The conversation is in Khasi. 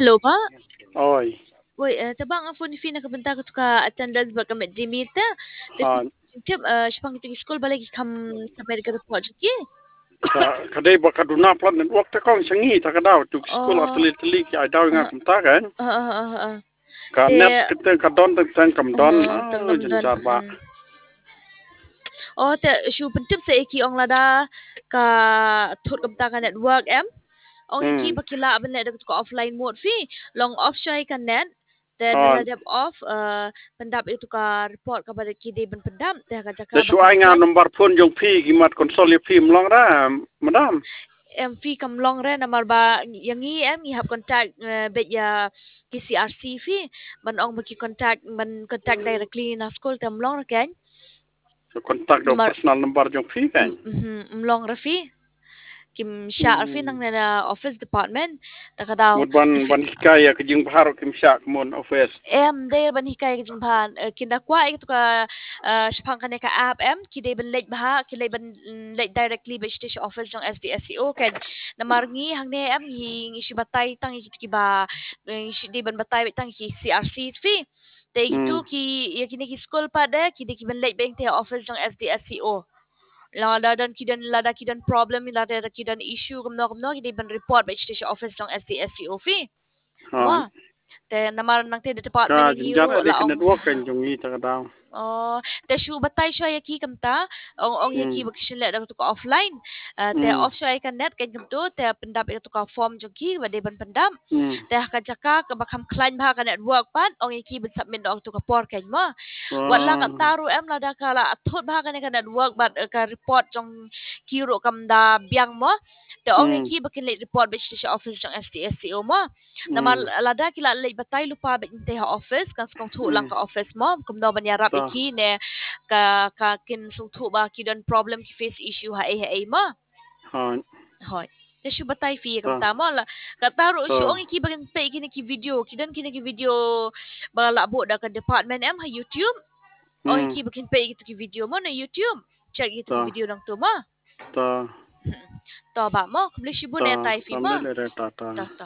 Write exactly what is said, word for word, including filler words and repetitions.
Hello, Pa. Oi. Wei, eh, te ba nga phone ïa phi na ka bynta katu ka attendance bad ka mid day meal te. Te tip, eh, shaphang kitu ki skul balei ki kham submit ka report jong ki. Ka, ka dei ba ka duna palat network te kong sha ngi ta ka daw tu ki skul. Oh. Ar tylli tylli ki ai daw ïa nga kumta kan. Ah, ah, ah, ah. Ka net kata ka don teng teng kam don. Ah, teng kam don. Jynjar ba. Oh, te shu pyntip sa ïa ki ong lada ka thut kumta ka network em. Ong ïa ki ba ki lah ban leh da ka offline mode phi. Long off shuwa ïa ka net. Te lada dep off, eh, pyndap ïa ka report kaba ki dei ban pyndap. Te ka jaka te shu ai nga number phone jong phi ki mat consult ïa phi, ym long re, madam. Em, phi kam long re namar ba ïa ngi em ngi hap contact, eh, bad ïa ki C R C phi. Ban ong ba ki contact, ban contact directly na skul te ym long re kan. Contact da personal number jong phi kan. Mhm, ym long re phi. Kim shah re phi nangne na office department. Ta ka daw. Mut ban, ban hikai ïa ka jingbha ruh kim shah kumno office. Em, dei ban hikai ïa ka jingbha, eh, kin da kwah ïa katu ka, eh, shaphang kane ka app em, ki dei ban leit bha, ki dei ban, mm, leit directly bad sha office jong S D S C O kan. Namar ngi hangne em ngi, ngi shu batai tang ïa kitu kiba, eh, ngi shu dei ban batai bad tang ïa ki C R C phi. Te kitu ki, ïa kine ki skul pat de, ki dei ki ban leit bad tang ïa office jong S D S C O. Lada don ki don, lada ki don problem, lada ki don issue kumno kumno, ki dei ban report bad sha office jong S D S C O phi. Wah. Te namar nangta da department ka jynjar la ong network kan jong ngi ta ka daw. Oh, te shu batai shuwa ïa ki kumta, ong, ong ïa ki ba ki shu leh da katu ka offline. Eh, te off shuwa ïa ka net kan kumtu, te pyndap ïa katu ka form jong ki ba dei ban pyndap. Te ha ka jaka kaba kham khlaiñ bha ka network pat, ong ïa ki ban submit da katu ka por kan mo. Wat la katta ruh em lada ka la thut bha kane ka network bad, eh, ka report jong ki ruh kam da biang mo. Te ong ïa ki ba kin leit report bad sha office jong S D S C O mo. Namar lada ki la leit batai lypa bad tang ïa office, kan sngewthuh lang ka office mo, kumno ban ïarap ïa ki ne ka, ka kin sngewthuh ba ki don problem, ki face issue ha ei ha ei mo. Hooid. Hooid. Te shu batai phi kumta mo la. Katta ruh shu ong ïa ki ba kin peit kine ki video, ki don kine ki video ba la buh da ka department em ha YouTube. Ong ïa ki ba kin peit kitu ki video mo na YouTube. Check kitu ki video nangtu mo. To. To ba mo, khublei shibun ïa tai phi mo. To, to.